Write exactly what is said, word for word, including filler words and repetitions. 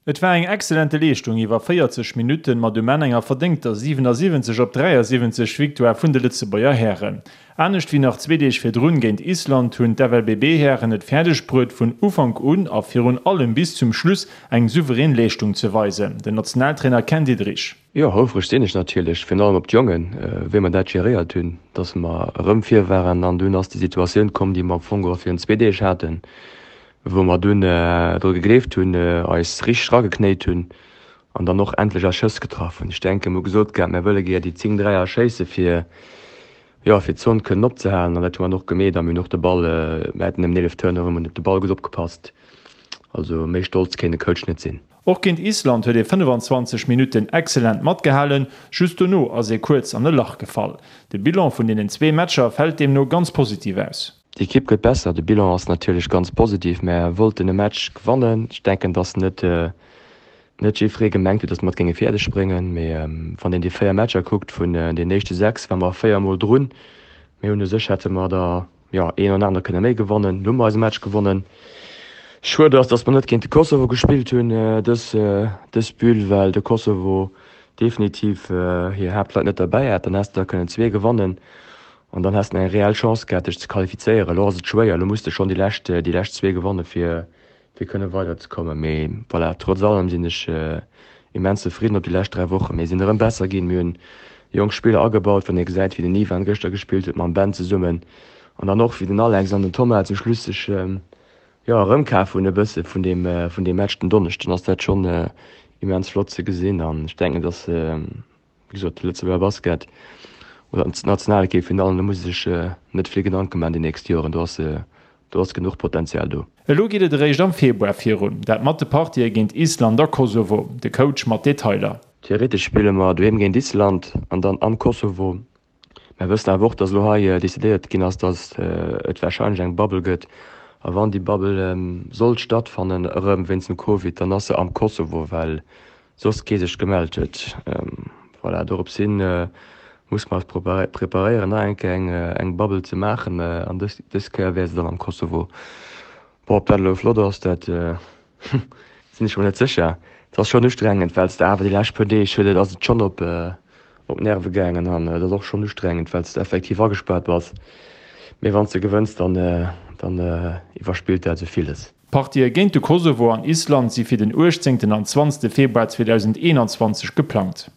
Et war eng exzellente Leeschtung iwwer véierzeg Minutten, mat um Enn enger verdéngter siwenasiwwenzeg op dräiasiwwenzeg Victoire vun de Lëtzebuerger Hären. Anescht wéi nach zwee Deeg virdrun géint Island hunn d'F L B B-Hären et fäerdeg bruet vun Ufank un a virun allem bis zum Schluss eng souverän Leeschtung ze weisen. Den Nationaltrainer Ken Diederich. Jo, houfreg sinn ech natierlech, virun allem op d'Jongen, wéi mer dat geréiert hunn, dass mer erëm vir waren an dunn ass déi Situatioun komm, déi mer am Fong geholl virun zwee Deeg haten, wou mer dunn dru gegleeft hunn, eis richteg erageknéit hunn an dann och endlech eis Schëss getraff hunn. Ech denken, mer hu gesot gehat, mer wëlle gär déi zéng Dräier schéisse fir, jo, fir d'Zon kënnen opzehalen an dat hu mer dann och gemeet a mir hunn och de Ball, mer haten nëmmen eelef Turnover, mer hunn op de Ball gutt opgepasst. Also méi stolz kéint e Coach net sinn. Och géint Island huet ee fënnefanzwanzeg Minutten excellent matgehalen, just dono ass ee kuerz an e Lach gefall. De Bilan vun deenen zwee Matcher fält deemno ganz positiv aus. D'Ekipp gëtt besser, de Bilan ass natierlech ganz positiv. Mär wollten e Match gewannen. Ech denken, datt net net jiddweree gemengt huet, datt mer et géinge fäerdeg bréngen. Mee wann een déi véier Matcher kuckt, vun den éischte sechs ware mer véier Mol drun. Mir hunn u sech hätte mer der jo een an aner kënne méi gewannen. Lo hu mer eise Match gewonnen. Schued ass, datt mer net géint de Kosovo gespillt hunn dës dës Bulle, well de Kosovo definitiv hir Haaptleit net derbäi hat. Dann häss de der kënnen zwee gewannen. An dann häss de eng reell Chance gehat, dech ze qualifizéieren. Elo ass et schwéier, elo muss de schonn déi lescht, déi lescht zwee gewanne fir, fir kënne weiderzekommen. Mee voilà, trotz allem sinn ech immens zefridden op déi lescht dräi Wochen. Mir sinn erëm besser ginn, mir hunn jonk Spiller agebaut, wann ee gesäit, wéi den Ivan gëschter gespillt huet mam Ben zesummen an dann och wéi den Alex an den Thomas zum Schluss sech jo erëmkaf hunn e bësse vun deem, vun deem Match den Donneschden, ass dat schonn immens flott ze gesinn an ech denken, dass wéi gesot, de Lëtzebuerger Basket oder d'Nationalekipp virun allem, do muss ee sech net vill Gedanke maachen déi nächst Joren, do ass do ass genuch Potenzial do. Elo geet et eréischt am Februar virun, dat mat de Partië géint Island a Kosovo. De Coach mat Detailer. Theoretesch spille mer doheem géint Island an dann am Kosovo. Mer wëssen awer och, datt elo hei decidéiert ginn ass, datt et warscheinlech eng Bubble gëtt. A wann déi Bubble sollt stattfannen, erëm wéinst dem Covid, dann ass se am Kosovo, well soss kee sech gemellt huet. Voilà, dorops hin muss mer eis preparéieren, nach eng Kéier eng Bubble ze maachen an dës dës Kéier wär se dann am Kosovo. Bon, ob dat elo flott ass, dat sinn ech mer net sécher. Et ass schonn ustrengend, well s de awer déi lescht puer Deeg huet et ass et schonn op op d'Nerve gaangen an et ass och schonn ustrengend, well s de effektiv agespaart bass. Mee wann s de gewënns, dann dann iwwerspillt dat esou villes. D'Partië géint de Kosovo an Island si fir den uechtzéngten an zwanzegste Februar zweedausendeenanzwanzeg geplangt.